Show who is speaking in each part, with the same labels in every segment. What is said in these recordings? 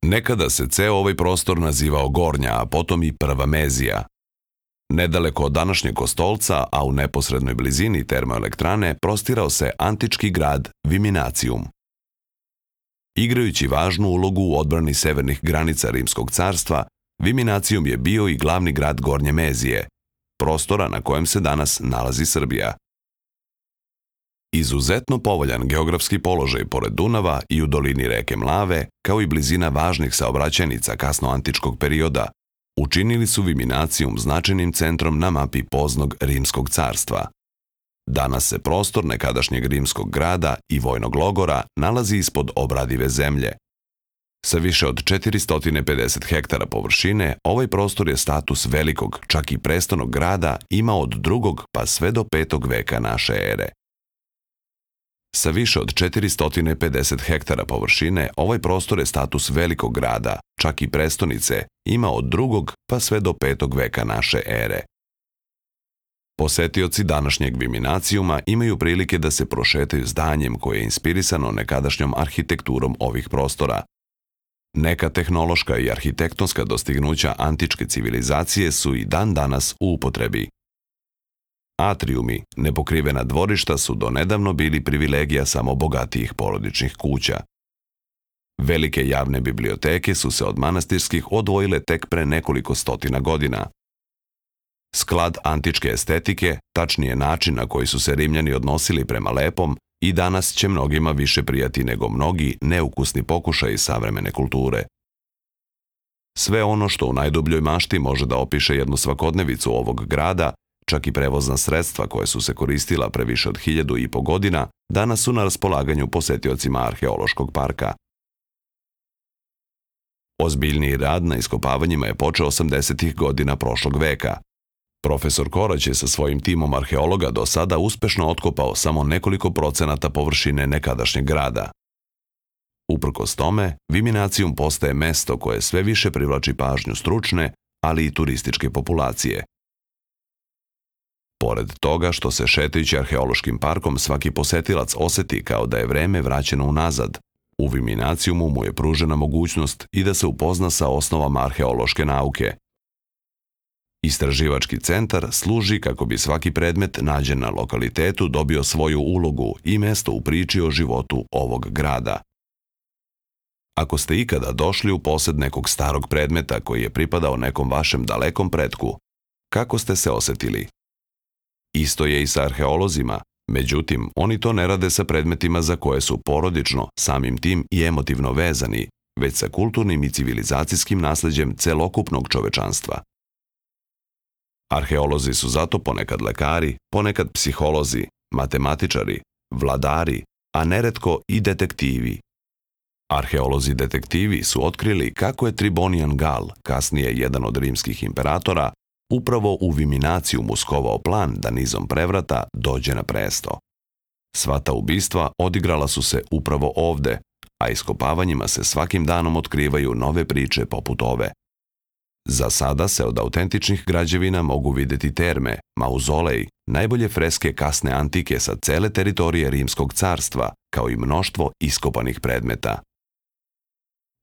Speaker 1: Nekada se ceo ovaj prostor nazivao Gornja, a potom i Prva Mezija. Nedaleko od današnjeg Kostolca, a u neposrednoj blizini termoelektrane, prostirao se antički grad Viminacijum. Igrajući važnu ulogu u odbrani severnih granica Rimskog carstva, Viminacijum je bio i glavni grad Gornje Mezije, prostora na kojem se danas nalazi Srbija. Izuzetno povoljan geografski položaj pored Dunava i u dolini reke Mlave, kao i blizina važnih saobraćajnica kasnoantičkog perioda, učinili su Viminacijum značajnim centrom na mapi poznog Rimskog carstva. Danas se prostor nekadašnjeg rimskog grada i vojnog logora nalazi ispod obradive zemlje. Sa više od 450 hektara površine, ovaj prostor je status velikog, čak i prestonog grada ima od 2. pa sve do 5. veka naše ere. Sa više od 450 hektara površine, ovaj prostor je status velikog grada, čak i prestonice, ima od 2. pa sve do 5. veka naše ere. Posetioci današnjeg Viminacijuma imaju prilike da se prošetaju zdanjem koje je inspirisano nekadašnjom arhitekturom ovih prostora. Neka tehnološka i arhitektonska dostignuća antičke civilizacije su i dan danas u upotrebi. Atrijumi, nepokrivena dvorišta, su donedavno bili privilegija samo bogatijih porodičnih kuća. Velike javne biblioteke su se od manastirskih odvojile tek pre nekoliko stotina godina. Sklad antičke estetike, tačnije način na koji su se Rimljani odnosili prema lepom, i danas će mnogima više prijati nego mnogi neukusni pokušaji savremene kulture. Sve ono što u najdubljoj mašti može da opiše jednu svakodnevicu ovog grada, čak i prevozna sredstva koje su se koristila pre više od 1500 godina, danas su na raspolaganju posetiocima arheološkog parka. Ozbiljniji rad na iskopavanjima je počeo 80. godina prošlog veka. Profesor Korać je sa svojim timom arheologa do sada uspešno otkopao samo nekoliko procenata površine nekadašnjeg grada. Uprkos tome, Viminacijum postaje mesto koje sve više privlači pažnju stručne, ali i turističke populacije. Pored toga što se šetajući arheološkim parkom svaki posetilac oseti kao da je vreme vraćeno unazad, u Viminacijumu mu je pružena mogućnost i da se upozna sa osnovama arheološke nauke. Istraživački centar služi kako bi svaki predmet nađen na lokalitetu dobio svoju ulogu i mesto u priči o životu ovog grada. Ako ste ikada došli u posed nekog starog predmeta koji je pripadao nekom vašem dalekom pretku, kako ste se osetili? Isto je i sa arheolozima, međutim, oni to ne rade sa predmetima za koje su porodično, samim tim i emotivno vezani, već sa kulturnim i civilizacijskim nasleđem celokupnog čovečanstva. Arheolozi su zato ponekad lekari, ponekad psiholozi, matematičari, vladari, a neretko i detektivi. Arheolozi detektivi su otkrili kako je Tribonian Gal, kasnije jedan od rimskih imperatora, upravo u Viminacijumu skovao plan da nizom prevrata dođe na presto. Sva ta ubistva odigrala su se upravo ovde, a iskopavanjima se svakim danom otkrivaju nove priče poput ove. Za sada se od autentičnih građevina mogu videti terme, mauzolej, najbolje freske kasne antike sa cele teritorije Rimskog carstva, kao i mnoštvo iskopanih predmeta.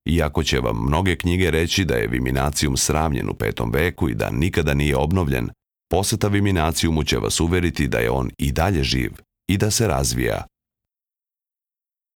Speaker 1: Iako će vam mnoge knjige reći da je Viminacijum sravnjen u 5. veku i da nikada nije obnovljen, poseta Viminacijumu će vas uveriti da je on i dalje živ i da se razvija